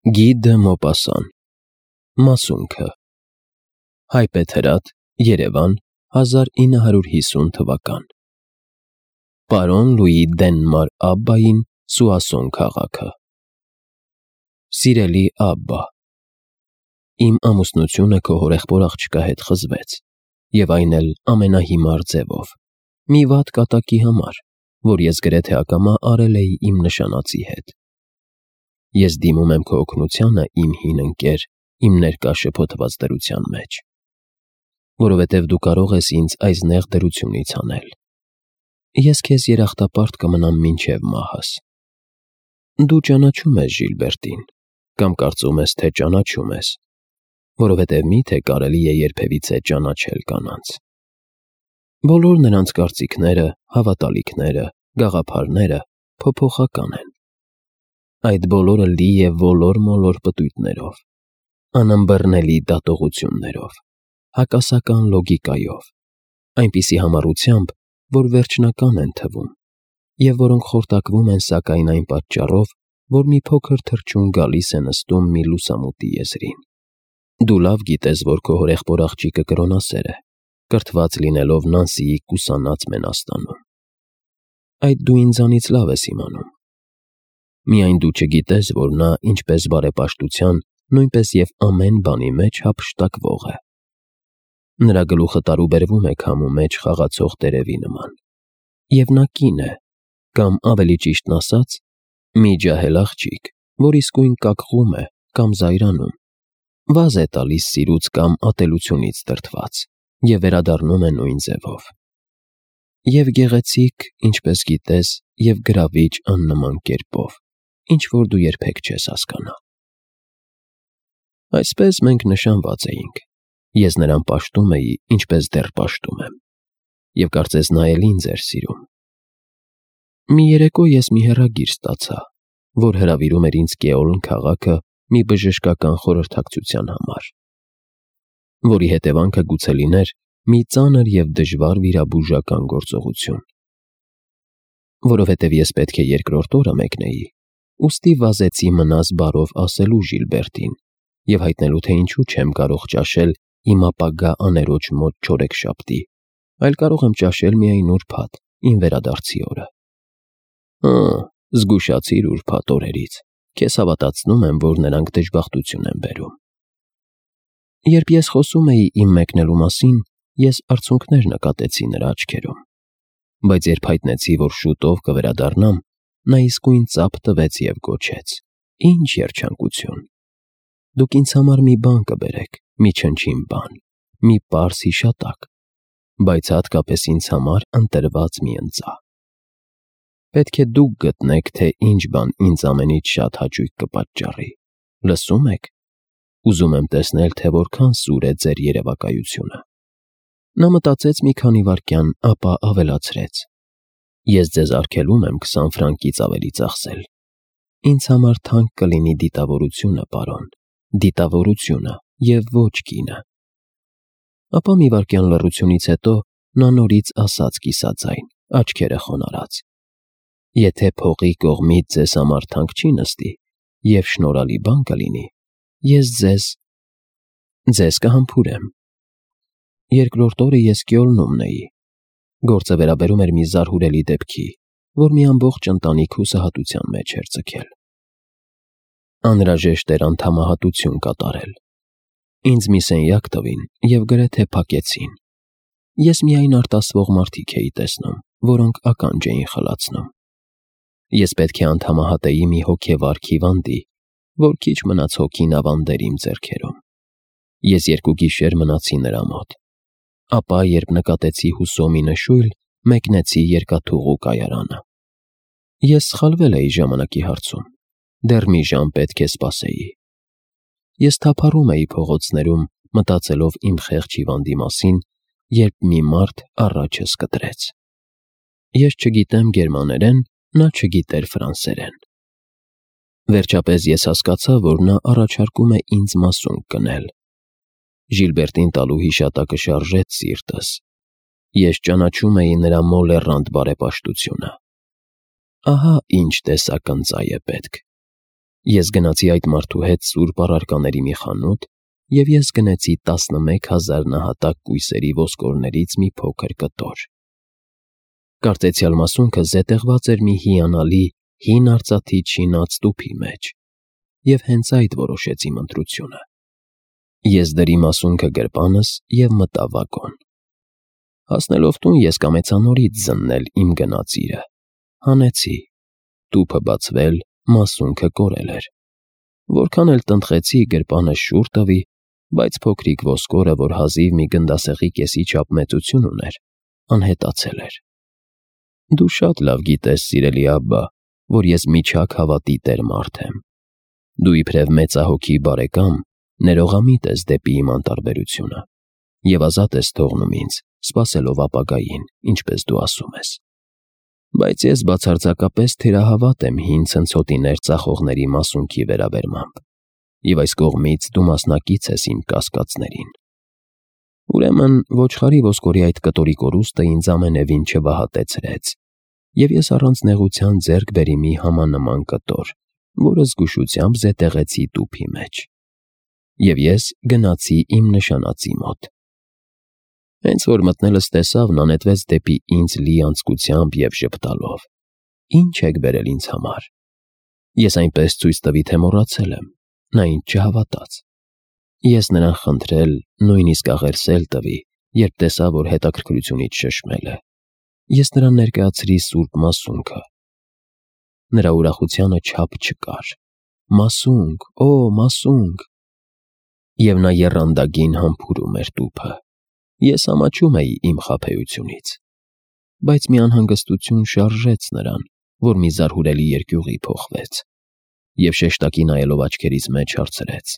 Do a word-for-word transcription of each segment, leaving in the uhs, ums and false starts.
Գի դը Մոպասան, Մասունքը, Հայպեթրատ, Երևան, հազար ինը հարյուր հիսուն թվական։ Պարոն Լուի Դենմար Աբբային Սուասոն քաղաքը։ Սիրելի Աբբա, իմ ամուսնությունը քո հորեղբոր աղջկա հետ խզվեց, և այն էլ ամենահիմար ձևով, մի վատ կատակի համար, որ ես գրեթե ակամա արել էի իմ նշանածի հետ։ Ես դիմում եմ քո օգնությանը, իմ հին ընկեր, իմ ներկա շփոթված դրության մեջ, որովհետև դու կարող ես ինձ այս նեղ դրությունից հանել։ Ես քեզ երախտապարտ կմնամ մինչև մահս։ Դու ճանաչում ես Ժիլբերտին, կամ կարծում ես, թե ճանաչում ես, որովհետև միթե կարելի է երբևիցե ճանաչել կանանց։ Բոլոր նրանց կարծիքները, հավատալիքները, գաղափարները փոփոխական են։ Այդ բոլորը լի է ոլոր-մոլոր պտույտներով, անըմբռնելի դատողություններով, հակասական լոգիկայով, այնպիսի համառությամբ, որ վերջնական են թվում, և որոնք խորտակվում են սակայն այն պատճառով, որ մի փոքր թռչուն գալիս է նստում մի լուսամուտի եզրին։ Դու լավ գիտես, որ քո հորեղբոր աղջիկը կրոնասեր է, կրթված լինելով Նանսիի կուսանած Մենաստանում։ Այդ դու ինձանից լավ ես իմանում։ Միայն դու չգիտես, որ նա, ինչպես բարեպաշտության, նույնպես և ամեն բանի մեջ հափշտակվող է։ Նրա գլուխը տարուբերվում է քամու մեջ խաղացող տերևի նման, և նա կին է, կամ ավելի ճիշտն ասած, մի ջահել աղջիկ, որ իսկույն կակղում է կամ զայրանում, վազ է տալիս սիրուց կամ ատելությունից դրդված և վերադառնում է նույն ձևով։ Եվ գեղեցիկ, ինչպես գիտես, և գրավիչ աննման կերպով, ինչ-որ դու երբեք չես հասկանա։ Այսպես մենք նշանված էինք, ես նրան պաշտում էի, ինչպես դեռ պաշտում եմ, և կարծես նա էլ ինձ էր սիրում։ Մի երեկո ես մի հեռագիր ստացա, որ հրավիրում էր ինձ Կեոլն քաղաքը մի բժշկական խորհրդակցության համար, որի հետևանքը գուցե լիներ մի ծանր և դժվար վիրաբուժական գործողություն։ Որովհետև ես պետք է երկրորդ օրը մեկնեի, ուստի վազեցի մնաս բարով ասելու Ժիլբերտին և հայտնելու, թե ինչու չեմ կարող ճաշել իմ ապագա աներոջ մոտ չորեքշաբթի, այլ կարող եմ ճաշել միայն ուրբաթ, իմ վերադարձի օրը։ Հը, զգուշացիր ուրբաթ օրերից, քեզ հավատացնում եմ, որ նրանք դժբախտություն են բերում։ Երբ ես խոսում էի իմ մեկնելու մասին, ես արցունքներ նկատեցի նրա աչքերում, բայց երբ հայտնեցի, որ շուտով կվերադառնամ, նա իսկույն ծափ տվեց և գոչեց. «Ինչ երջանկություն։ Դուք ինձ համար մի բան կբերեք, մի չնչին բան, մի պարզ հիշատակ, բայց հատկապես ինձ համար ընտրված մի ընծա։ Պետք է դուք գտնեք, թե ինչ բան ինձ ամենից շատ հաճույք կպատճառի։ Լսո՞ւմ եք։ Ուզում եմ տեսնել, թե որքան սուր է ձեր երևակայությունը»։ Նա մտածեց մի քանի վայրկյան, ապա ավելացրեց. «Ես ձեզ արգելում եմ քսան ֆրանկից ավելի ծախսել։ Ինձ համար թանկ կլինի դիտավորությունը, պարոն, դիտավորությունը և ոչ գինը»։ Ապա մի վայրկյան լռությունից հետո նա նորից ասաց կիսաձայն, աչքերը խոնարհած. «Եթե փողի կողմից ձեզ համար թանկ չի նստի և շնորհալի բան կլինի, ես ձեզ… ձեզ կհամբուրեմ»։ Երկրորդ օրը ես Կյոլնում էի։ Գործը վերաբերում էր մի զարհուրելի դեպքի, որ մի ամբողջ ընտանիք հուսահատության մեջ էր ձգել։ Անհրաժեշտ էր անդամահատություն կատարել։ Ինձ մի սենյակ տվին և գրեթե փակեցին։ Ես միայն արտասվող մարդիկ էի տեսնում, որոնք ականջ էին խլացնում։ Ես պետք է անդամահատեի մի հոգևար հիվանդի, որ քիչ մնաց հոգին ավանդեր իմ ձեռքերում։ Ես երկու գիշեր մնացի նրա մոտ։ Ապա, երբ նկատեցի հուսոմի նշույլ, մեկնեցի երկաթուղու կայարանը։ Ես սխալվել էի ժամանակի հարցում, դեռ մի ժամ պետք է սպասեի։ Ես թափառում էի փողոցներում, մտածելով իմ խեղճ հիվանդի մասին, երբ մի մարդ առաջս կտրեց։ Ես չգիտեմ գերմաներեն, նա չգիտեր ֆրանսերեն։ Վերջապես ես հասկացա, որ նա առաջարկում է ինձ մասունք կնել։ Ժիլբերտին տալու հիշատակը շարժեց սիրտս։ Ես ճանաչում էի նրա մոլեռանդ բարեպաշտությունը։ Ահա ինչ տեսակ ընծա է պետք։ Ես գնացի այդ մարդու հետ սուրբ առարկաների մի խանութ և ես գնեցի տասնմեկ հազար նահատակ կույսերի ոսկորներից մի փոքր կտոր։ Կարծեցյալ մասունքը զետեղված էր մի հիանալի հին արծաթի չինած տուփի մեջ, և հենց այդ որոշեց իմ ընտրությունը։ Ես դրի մասունքը գրպանս և մտա վագոն։ Հասնելով տուն ես կամեցա նորից զննել իմ գնածիրը։ Հանեցի, տուփը բացվել, մասունքը կորել էր։ Որքան էլ տնտղեցի, գրպանը շուռ տվի, բայց փոքրիկ ոսկորը, որ հազիվ մի գնդասեղի կեսի չափ մեծություն ուներ, անհետացել էր։ Դու շատ լավ գիտես, սիրելի Աբբա, որ ես միջակ հավատի տեր մարդ եմ։ Դու իբրև մեծահոգի բարեկամ ներողամիտ ես դեպի իմ անտարբերությունը և ազատ ես թողնում ինձ, սպասելով ապագային, ինչպես դու ասում ես։ Բայց ես բացարձակապես թերահավատ եմ հին ցնցոտիներ ծախողների մասունքի վերաբերմամբ, և այս կողմից դու մասնակից ես իմ կասկածներին։ Ուրեմն ոչխարի ոսկորի այդ կտորի կորուստը ինձ ամենևին չվհատեցրեց, և ես առանց նեղության ձեռք բերի մի համանման կտոր, որը զգուշությամբ զետեղեցի տուփի մեջ։ Եվ ես գնացի իմ նշանածի մոտ։ Հենց որ մտնելս տեսավ, նա նետվեց դեպի ինձ լի անձկությամբ և ժպտալով. «Ի՞նչ եք բերել ինձ համար»։ Ես այնպես ցույց տվի, թե մոռացել եմ։ Նա ինձ չհավատաց։ Ես նրան խնդրել, նույնիսկ աղերսել տվի, երբ տեսա, որ հետաքրքրությունից շշմել է։ Ես նրան ներկայացրի սուրբ մասունքը։ Նրա ուրախությանը չափ չկար։ «Մասունք, օ, մասունք»։ Եվ նա եռանդագին համբուրում էր տուփը։ Ես ամաչում էի իմ խաբեությունից։ Բայց մի անհանգստություն շարժեց նրան, որ մի զարհուրելի երկյուղի փոխվեց, և շեշտակի նայելով աչքերիս մեջ հարցրեց.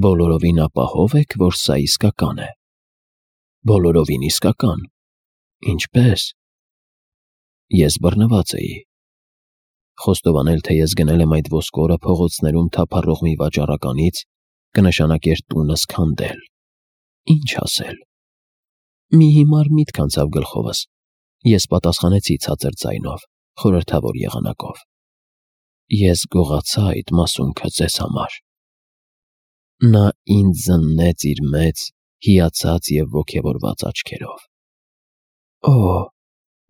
«Բոլորովին ապահո՞վ եք, որ սա իսկական է»։ «Բոլորովին իսկական»։ «Ինչպե՞ս»։ Ես բռնված էի։ Խոստովանել, թե ես գնել եմ այդ ոսկորը փողոցներում թափառող մի վաճառականից, կնշանակեր տունս քանդել։ Ինչ ասել։ Մի հիմար միտք անցավ գլխովս։ Ես պատասխանեցի ցածր ձայնով, խորհրդավոր եղանակով. «Ես գողացա այդ մասունքը ձեզ համար»։ Նա ինձ զննեց իր մեծ, հիացած և ոգևորված աչքերով։ «Օ,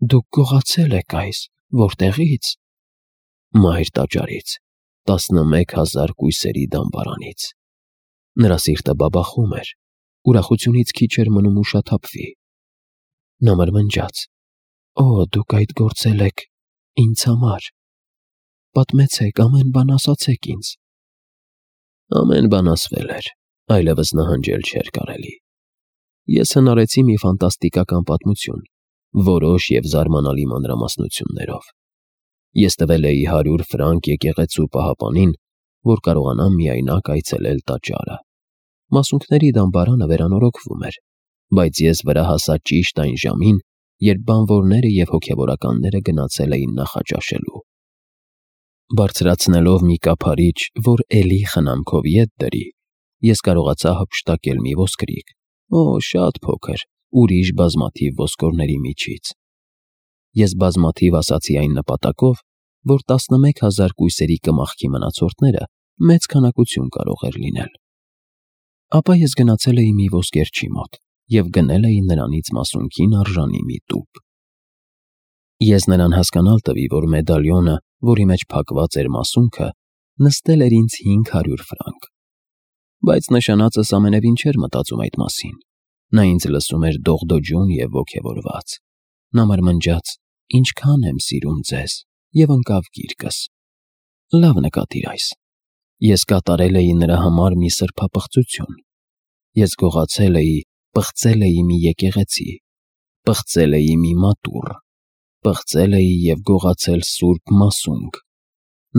դուք գողացել եք այս, որտեղի՞ց»։ Մահեր տաճարից, տասնմեկ հազար կույսերի դամբարանից։ Նրա սիրտը բաբախում էր, ուրախությունից քիչ էր մնում ուշաթափվի։ Նա մրմնջաց. «Օ, դուք այդ գործել եք ինձ համար։ Պատմեցեք, ամեն բան ասացեք ինձ»։ Ամեն բան ասվել էր, այլևս նահանջել չէր կարելի։ Ես հնարեցի մի ֆանտաստիկական պատմություն, որոշ և զարմանալի մանրամասնություններով։ Ես տվել էի հարյուր ֆրանկ եկեղեցու պահապանին, որ կարողանամ միայնակ այցելել տաճարը։ Մասունքների դամբարանը վերանորոգվում էր, բայց ես վրա հասա ճիշտ այն ժամին, երբ բանվորները և հոգևորականները գնացել էին նախաճաշելու։ Բարձրացնելով մի կափարիչ, որ էլի խնամքով ետ դրի, ես կարողացա հափշտակել մի ոսկրիկ, օ, շատ փոքր, ուրիշ բազմաթիվ ոսկորների միջից։ Ես բազմաթիվ ասացի այն նպատակով, որ տասնմեկ հազար կույսերի կմախքի մնացորդները մեծ քանակություն կարող էր լինել։ Ապա ես գնացել էի մի ոսկերչի մոտ և գնել էի նրանից մասունքին արժանի մի տուփ։ Ես նրան հասկանալ տվի, որ մեդալյոնը, որի մեջ փակված էր մասունքը, նստել էր ինձ հինգ հարյուր ֆրանկ։ Բայց նշանածս ամենևին չէր մտածում այդ մասին։ Նա ինձ լսում էր դողդոջուն և ոգևորված։ Նա մրմնջաց. «Ինչքան եմ սիրում ձեզ», և ընկավ գիրկս։ Լավ նկատիր այս. ես կատարել էի նրա համար մի սրբապղծություն։ Ես գողացել էի, պղծել էի մի եկեղեցի, պղծել էի մի մատուռ, պղծել էի և գողացել սուրբ մասունք։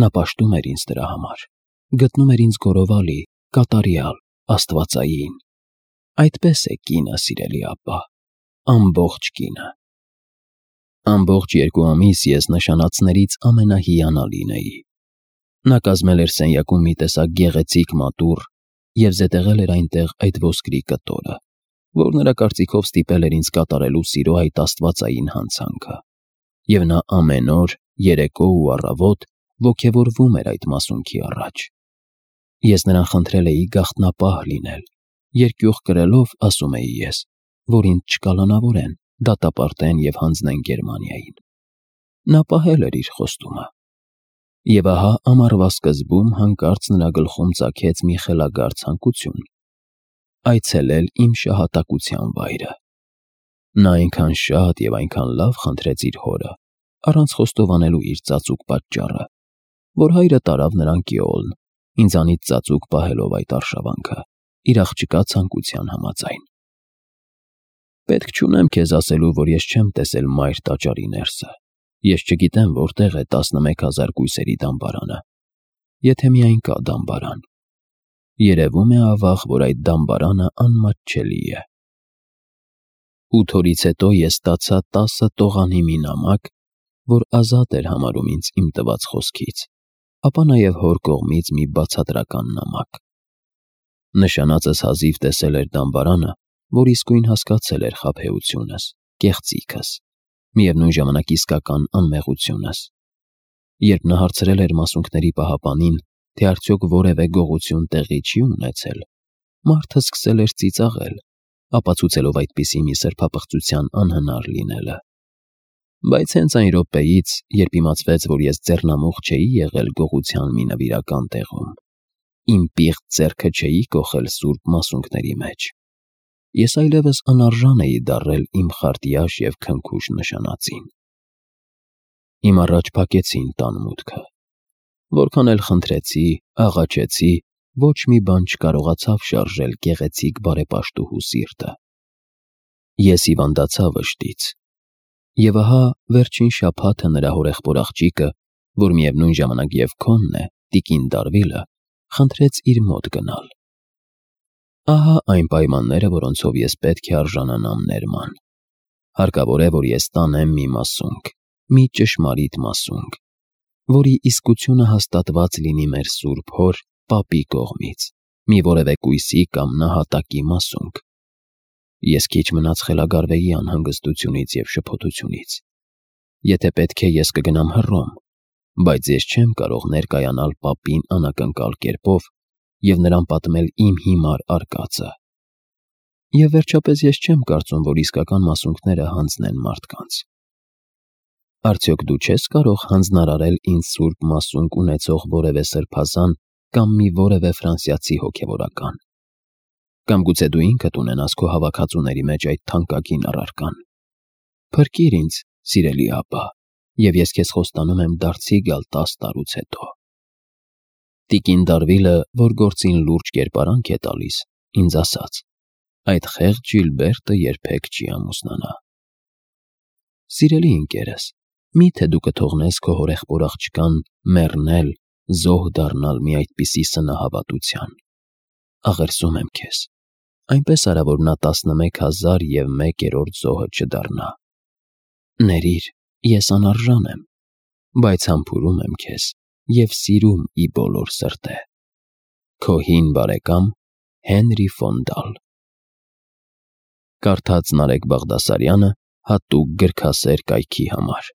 Նա պաշտում էր ինձ դրա համար, գտնում էր ինձ գորովալի, կատարյալ, աստվածային։ Այդպես է կինը, սիրելի Աբբա, ամբողջ կինը։ Ամբողջ երկու ամիս ես նշանածներից ամենահիանալին էի։ Նա կազմել էր սենյակում մի տեսակ գեղեցիկ մատուռ և զետեղել էր այնտեղ այդ ոսկրի կտորը, որ նրա կարծիքով ստիպել էր ինձ կատարելու սիրո այդ աստվածային հանցանքը։ Եվ նա ամեն օր, երեկո ու առավոտ ոգևորվում էր այդ մասունքի առաջ։ Ես նրան խնդրել էի գաղտնապահ լինել, երկյուղ կրելով ասում էի ես, որ ինձ չկալանավորեն, դատապարտեն և հանձնեն Գերմանիային։ Նա պահել էր իր խոստումը։ Եվ ահա ամառվա սկզբում հանկարծ նրա գլխում ծագեց մի խելագար ցանկություն՝ այցելել իմ շահատակության վայրը։ Նա այնքան շատ և այնքան լավ խնդրեց իր հորը, առանց խոստովանելու իր ծածուկ պատճառը, որ հայրը տարավ նրան Կիոլն, ինձանից ծածուկ պահելով այդ արշավանքը, իր աղջկա ցանկության համաձայն։ Պետք չունեմ քեզ ասելու, որ ես չեմ տեսել մայր տաճարի ներսը, ես չգիտեմ որտեղ է տասնմեկ հազար կույսերի դամբարանը, եթե միայն կա դամբարան։ Երևում է ավաղ, որ այդ դամբարանը անմատչելի է։ Ութ օրից հետո ես ստացա տասը տողանի մի նամակ, որ ազատ էր համարում ինձ իմ տված խոսքից, ապա նաև հոր կողմից մի բացատրական նամակ։ Նշանածս հազիվ տեսել էր դամբարանը, որ իսկույն հասկացել էր խաբեությունս, կեղծիքս, միևնույն ժամանակ իսկական անմեղությունս։ Երբ նա հարցրել էր մասունքների պահապանին, թե արդյոք որևէ գողություն տեղի չի ունեցել, մարդը սկսել էր ծիծաղել, ապացուցելով այդպիսի մի սրբապղծության անհնար լինելը։ Բայց հենց այն րոպեից, երբ իմացվեց, որ ես ձեռնամուխ չէի եղել գողության մի նվիրական տեղում, իմ պիղծ ձեռքը չէի կոխել սուրբ մասունքների մեջ, ես այլևս անարժան էի դառել իմ խարտյաշ և քնքուշ նշանածին։ Իմ առաջ փակեցին տան մուտքը։ Որքան էլ խնդրեցի, աղաչեցի, ոչ մի բան չկարողացավ շարժել գեղեցիկ բարեպաշտուհու սիրտը։ Ես հիվանդացա վշտից։ Եվ ահա վերջին շաբաթը նրա հորեղբոր աղջիկը, որ միևնույն ժամանակ և քոնն է, տիկին Դարվիլը, խնդրեց իր մոտ գնալ։ Ահա այն պայմանները, որոնցով ես պետք է արժանանամ ներման։ Հարկավոր է, որ ես տանեմ մի մասունք, մի ճշմարիտ մասունք, որի իսկությունը հաստատված լինի մեր Սուրբ Հոր Պապի կողմից, մի որևէ կույսի կամ նահատակի մասունք։ Ես քիչ մնաց խելագարվեի անհանգստությունից և շփոթությունից։ Եթե պետք է, ես կգնամ Հռոմ, բայց ես չեմ կարող ներկայանալ Պապին անակնկալ կերպով և նրան պատմել իմ հիմար արկածը։ Եվ վերջապես ես չեմ կարծում, որ իսկական մասունքները հանձնեն մարդկանց։ Արդյոք դու չես կարող հանձնարարել ինձ սուրբ մասունք ունեցող որևէ սրբազան կամ մի որևէ ֆրանսիացի հոգևորական։ Կամ գուցե դու ինքդ ունենաս քո հավաքածուների մեջ այդ թանկագին առարկան։ Փրկիր ինձ, սիրելի ապա, և ես քեզ խոստանում եմ դարձի գալ տաս տարուց հետո։ Տիկին Դարվիլը, որ գործին լուրջ կերպարանք է տալիս, ինձ ասաց. այդ խեղճ Ժիլբերտը երբեք չի ամուսնանա։ Սիրելի ընկերս, մի՞թե դու կթողնես քո հորեղբոր աղջկան մեռնել, զոհ դառնալ մի այդպիսի սնահավատության։ Աղերսում եմ քեզ, այնպես արա, որ նա տասնմեկ հազար և մեկերորդ զոհը չդառնա։ Ներիր, ես անարժան եմ, բայց համբուրում եմ քեզ և սիրում ի բոլոր սրտե։ Քո հին բարեկամ Հենրի ֆոն Դալ։ Կարդաց Նարեկ Բաղդասարյանը հատուկ գրքասեր կայքի համար։